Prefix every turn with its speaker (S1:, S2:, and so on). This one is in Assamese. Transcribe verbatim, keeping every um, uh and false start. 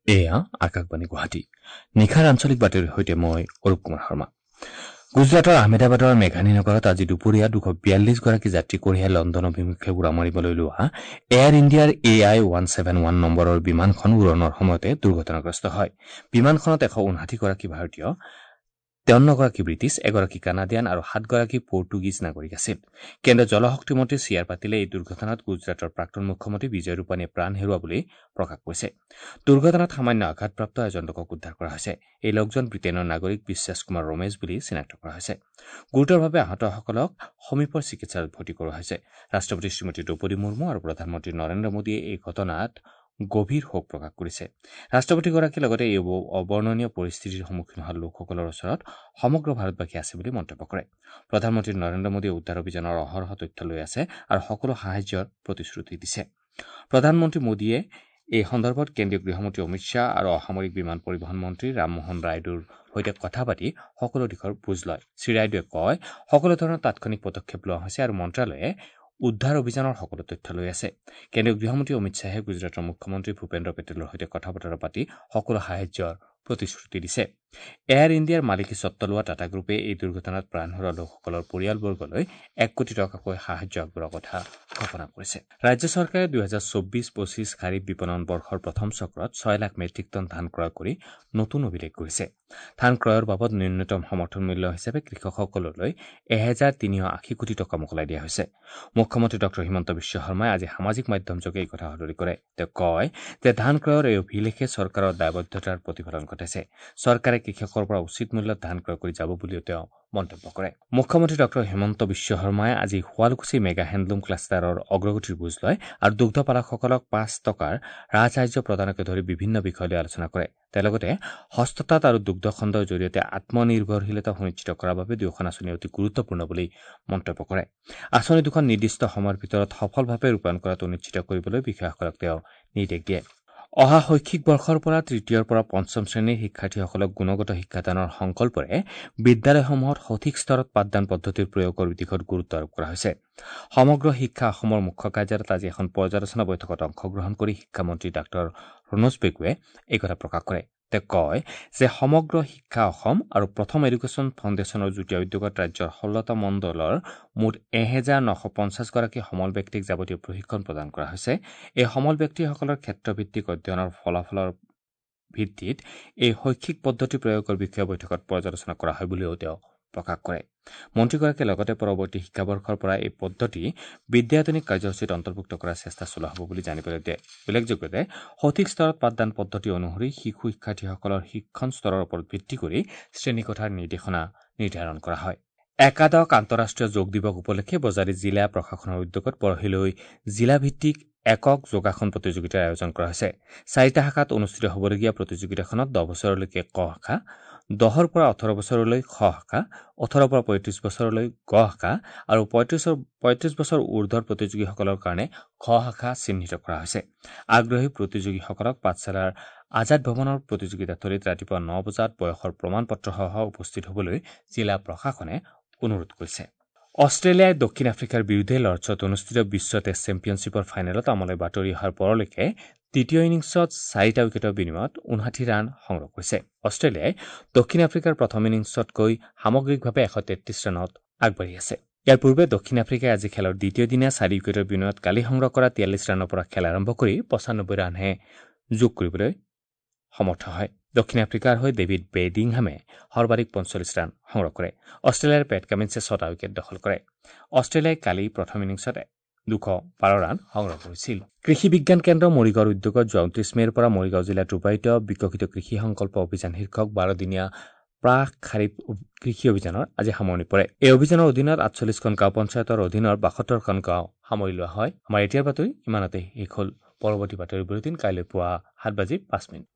S1: এয়া আকাশবাণী গুৱাহাটী। নিশাৰ আঞ্চলিক বাতৰিৰ সৈতে মই অৰূপ কুমাৰ শৰ্মা। গুজৰাটৰ আহমেদাবাদৰ মেঘানী নগৰত আজি দুপৰীয়া দুশ বিয়াল্লিছগৰাকী যাত্ৰী কঢ়িয়াই লণ্ডন অভিমুখে উৰা মাৰিবলৈ লোৱা এয়াৰ ইণ্ডিয়াৰ A I one seven one নম্বৰৰ বিমানখন উৰণৰ সময়তে দুৰ্ঘটনাগ্ৰস্ত হয়। বিমানখনত এশ ঊনষাঠিগৰাকী ভাৰতীয়, তেৱন্নগৰাকী ব্ৰিটিছ, এগৰাকী কানাডিয়ান আৰু সাতগৰাকী পৰ্টুগীজ নাগৰিক আছিল। কেন্দ্ৰীয় জলশক্তি মন্ত্ৰী চি আৰ পাটিলে এই দুৰ্ঘটনাত গুজৰাটৰ প্ৰাক্তন মুখ্যমন্ত্ৰী বিজয় ৰূপানীয়ে প্ৰাণ হেৰুওৱা বুলি প্ৰকাশ কৰিছে। দুৰ্ঘটনাত সামান্য আঘাতপ্ৰাপ্ত এজন লোকক উদ্ধাৰ কৰা হৈছে। এই লোকজন ব্ৰিটেইনৰ নাগৰিক বিশ্বাস কুমাৰ ৰমেশ বুলি চিনাক্ত কৰা হৈছে। গুৰুতৰভাৱে আহতসকলক সমীপৰ চিকিৎসালয়ত ভৰ্তি কৰোৱা হৈছে। ৰাষ্ট্ৰপতি শ্ৰীমতী দ্ৰৌপদী মুৰ্মু আৰু প্ৰধানমন্ত্ৰী নৰেন্দ্ৰ মোদীয়ে এই ঘটনাত গভীৰ শোক প্ৰকাশ কৰিছে। ৰাষ্ট্ৰপতিগৰাকীয়ে লগতে এই অবৰ্ণনীয় পৰিস্থিতিৰ সন্মুখীন হোৱা লোকসকলৰ ওচৰত সমগ্ৰ ভাৰতবাসী আছে বুলি মন্তব্য কৰে। প্ৰধানমন্ত্ৰী নৰেন্দ্ৰ মোদীয়ে উদ্ধাৰ অভিযানৰ অহৰহ তথ্য লৈ আছে আৰু সকলো সাহায্যৰ প্ৰতিশ্ৰুতি দিছে। প্ৰধানমন্ত্ৰী মোদীয়ে এই সন্দৰ্ভত কেন্দ্ৰীয় গৃহমন্ত্ৰী অমিত শ্বাহ আৰু অসামৰিক বিমান পৰিবহণ মন্ত্ৰী ৰামমোহন ৰায়ডুৰ সৈতে কথা পাতি সকলো দিশৰ বুজ লয়। শ্ৰীৰায়ডুৱে কয়, সকলো ধৰণৰ তাৎক্ষণিক পদক্ষেপ লোৱা হৈছে আৰু মন্ত্ৰালয়ে উদ্ধাৰ অভিযানৰ সকলো তথ্য লৈ আছে। কেন্দ্ৰীয় গৃহমন্ত্ৰী অমিত শ্বাহে গুজৰাটৰ মুখ্যমন্ত্ৰী ভূপেন্দ্ৰ পেটেলৰ সৈতে কথা বতৰা পাতি সকলো সাহায্যৰ প্ৰতিশ্ৰুতি দিছে। এয়াৰ ইণ্ডিয়াৰ মালিকী স্বত্ব লোৱা টাটা গ্ৰুপে এই দুৰ্ঘটনাত প্ৰাণ হেৰুওৱা লোকসকলৰ পৰিয়ালবৰ্গলৈ এক কোটি টকাকৈ সাহায্য আগবঢ়োৱাৰ কথা ঘোষণা কৰিছে। ৰাজ্য চৰকাৰে দুহেজাৰ চৌব্বিছ পঁচিছ খাৰিফ বিপণন বৰ্ষৰ প্ৰথম চক্ৰত ছয় লাখ মেট্ৰিক টন ধান ক্ৰয় কৰি নতুন অভিলেখ কৰিছে। ধান ক্ৰয়ৰ বাবদ ন্যূনতম সমৰ্থন মূল্য হিচাপে কৃষকসকললৈ এহেজাৰ তিনিশ আশী কোটি টকা মোকলাই দিয়া হৈছে। মুখ্যমন্ত্ৰী ডক্টৰ হিমন্ত বিশ্ব শৰ্মাই আজি সামাজিক মাধ্যমযোগে এই কথা সদৰি কৰে। তেওঁ কয় যে ধান ক্ৰয়ৰ এই অভিলেখে চৰকাৰৰ দায়বদ্ধতাৰ প্ৰতিফলন ঘটাইছে। চৰকাৰে কৃষকৰ পৰা উচিত মূল্যত ধান ক্ৰয় কৰি যাব বুলিও তেওঁ মন্তব্য কৰে। মুখ্যমন্ত্ৰী ডক্টৰ হিমন্ত বিশ্ব শৰ্মাই আজি শুৱালকুছি মেগা হেণ্ডলুম ক্লাষ্টাৰৰ অগ্ৰগতিৰ বুজ লয় আৰু দুগ্ধ পালকসকলক পাঁচ টকাৰ ৰাজসাহায্য প্ৰদানকে ধৰি বিভিন্ন বিষয় লৈ আলোচনা কৰে। তেওঁ লগতে হস্ততাঁত আৰু দুগ্ধ খণ্ডৰ জৰিয়তে আত্মনিৰ্ভৰশীলতা সুনিশ্চিত কৰাৰ বাবে দুয়োখন আঁচনি অতি গুৰুত্বপূৰ্ণ বুলি মন্তব্য কৰে। আঁচনি দুখন নিৰ্দিষ্ট সময়ৰ ভিতৰত সফলভাৱে ৰূপায়ণ কৰাটো নিশ্চিত কৰিবলৈ বিষয়াসকলক তেওঁ নিৰ্দেশ দিয়ে। অহা শৈক্ষিক বৰ্ষৰ পৰা তৃতীয়ৰ পৰা পঞ্চম শ্ৰেণীৰ শিক্ষাৰ্থীসকলক গুণগত শিক্ষাদানৰ সংকল্পৰে বিদ্যালয়সমূহত সঠিক স্তৰত পাঠদান পদ্ধতিৰ প্ৰয়োগৰ দিশত গুৰুত্ব আৰোপ কৰা হৈছে। সমগ্ৰ শিক্ষা অসমৰ মুখ্য কাৰ্যালয়ত আজি এখন পৰ্যালোচনা বৈঠকত অংশগ্ৰহণ কৰি শিক্ষামন্ত্ৰী ডাঃ ৰণোজ পেগুৱে এই কথা প্ৰকাশ কৰে। তেওঁ কয় যে সমগ্ৰ শিক্ষা অসম আৰু প্ৰথম এডুকেশ্যন ফাউণ্ডেশ্যনৰ যুটীয়া উদ্যোগত ৰাজ্যৰ ষোল্লটা মণ্ডলৰ মুঠ এহেজাৰ নশ পঞ্চাছগৰাকী সমল ব্যক্তিক যাৱতীয় প্ৰশিক্ষণ প্ৰদান কৰা হৈছে। এই সমল ব্যক্তিসকলৰ ক্ষেত্ৰভিত্তিক অধ্যয়নৰ ফলাফলৰ ভিত্তিত এই শৈক্ষিক পদ্ধতি প্ৰয়োগৰ বিষয়ে বৈঠকত পৰ্যালোচনা কৰা হয় বুলিও তেওঁ প্ৰকাশ কৰে। মন্ত্ৰীগৰাকীয়ে লগতে পৰৱৰ্তী শিক্ষাবৰ্ষৰ পৰা এই পদ্ধতি বিদ্যায়তনিক কাৰ্যসূচীত অন্তৰ্ভুক্ত কৰাৰ চেষ্টা চলোৱা হ'ব বুলি জানিবলৈ দিয়ে। উল্লেখযোগ্য যে সঠিক স্তৰত পাঠদান পদ্ধতি অনুসৰি শিশু শিক্ষাৰ্থীসকলৰ শিক্ষণ স্তৰৰ ওপৰত ভিত্তি কৰি শ্ৰেণীকোঠাৰ নিৰ্দেশনা নিৰ্ধাৰণ কৰা হয়। একাদশ আন্তঃৰাষ্ট্ৰীয় যোগ দিৱস উপলক্ষে বজালী জিলা প্ৰশাসনৰ উদ্যোগত পৰহিলৈ জিলাভিত্তিক একক যোগাসন প্ৰতিযোগিতাৰ আয়োজন কৰা হৈছে। চাৰিটা শাখাত অনুষ্ঠিত হ'বলগীয়া প্ৰতিযোগিতাখনত দহ বছৰলৈকে ক শাখা, দহৰ পৰা ওঠৰ বছৰলৈ খ শাখা, ওঠৰৰ পৰা পঁয়ত্ৰিছ বছৰলৈ গ শাখা আৰু পঁয়ত্ৰিছৰ পঁয়ত্ৰিছ বছৰ ঊৰ্ধৰ প্ৰতিযোগীসকলৰ কাৰণে খ শাখা চিহ্নিত কৰা হৈছে। আগ্ৰহী প্ৰতিযোগীসকলক পাঠশালাৰ আজাদ ভৱনৰ প্ৰতিযোগিতাথলীত ৰাতিপুৱা ন বজাত বয়সৰ প্ৰমাণ পত্ৰসহ উপস্থিত হ'বলৈ জিলা প্ৰশাসনে অনুৰোধ কৰিছে। অষ্ট্ৰেলিয়াই দক্ষিণ আফ্ৰিকাৰ বিৰুদ্ধে লৰ্ডছত অনুষ্ঠিত বিশ্ব টেষ্ট চেম্পিয়নশ্বিপৰ ফাইনেলত আমালৈ বাতৰি অহাৰ পৰলৈকে দ্বিতীয় ইনিংছত চাৰিটা উইকেটৰ বিনিময়ত ঊনষাঠি ৰান সংগ্ৰহ কৰিছে। অষ্ট্ৰেলিয়াই দক্ষিণ আফ্ৰিকাৰ প্ৰথম ইনিংছতকৈ সামগ্ৰিকভাৱে এশ তেত্ৰিছ ৰানত আগবাঢ়ি আছে। ইয়াৰ পূৰ্বে দক্ষিণ আফ্ৰিকাই আজি খেলৰ দ্বিতীয় দিনা চাৰি উইকেটৰ বিনিময়ত কালি সংগ্ৰহ কৰা তিয়াল্লিছ ৰানৰ পৰা খেল আৰম্ভ কৰি পঁচানব্বৈ ৰানহে যোগ কৰিবলৈ সমৰ্থ হয়। দক্ষিণ আফ্ৰিকাৰ হৈ ডেভিড বেডিংহামে সৰ্বাধিক পঞ্চল্লিছ ৰান সংগ্ৰহ কৰে। অষ্ট্ৰেলিয়াৰ পেট কামিন্সে ছটা উইকেট দখল কৰে। অষ্ট্ৰেলিয়াই কালি প্ৰথম ইনিংছত দুশ বাৰ ৰান সংগ্ৰহ কৰিছিল। কৃষি বিজ্ঞান কেন্দ্ৰ মৰিগাঁৱৰ উদ্যোগত যোৱা ঊনত্ৰিছ মে'ৰ পৰা মৰিগাঁও জিলাত ৰূপায়িত বিকশিত কৃষি সংকল্প অভিযান শীৰ্ষক বাৰদিনীয়া প্ৰাক খাৰিফ কৃষি অভিযানৰ আজি সামৰণি পৰে। এই অভিযানৰ অধীনত আঠচল্লিছখন গাঁও পঞ্চায়তৰ অধীনৰ বাসত্তৰখন গাঁও সামৰি লোৱা হয়। আমাৰ এতিয়াৰ বাতৰি ইমানতে শেষ হ'ল। পৰৱৰ্তী বাতৰি বুলেটিন কাইলৈ পুৱা সাত বাজি পাঁচ মিনিট।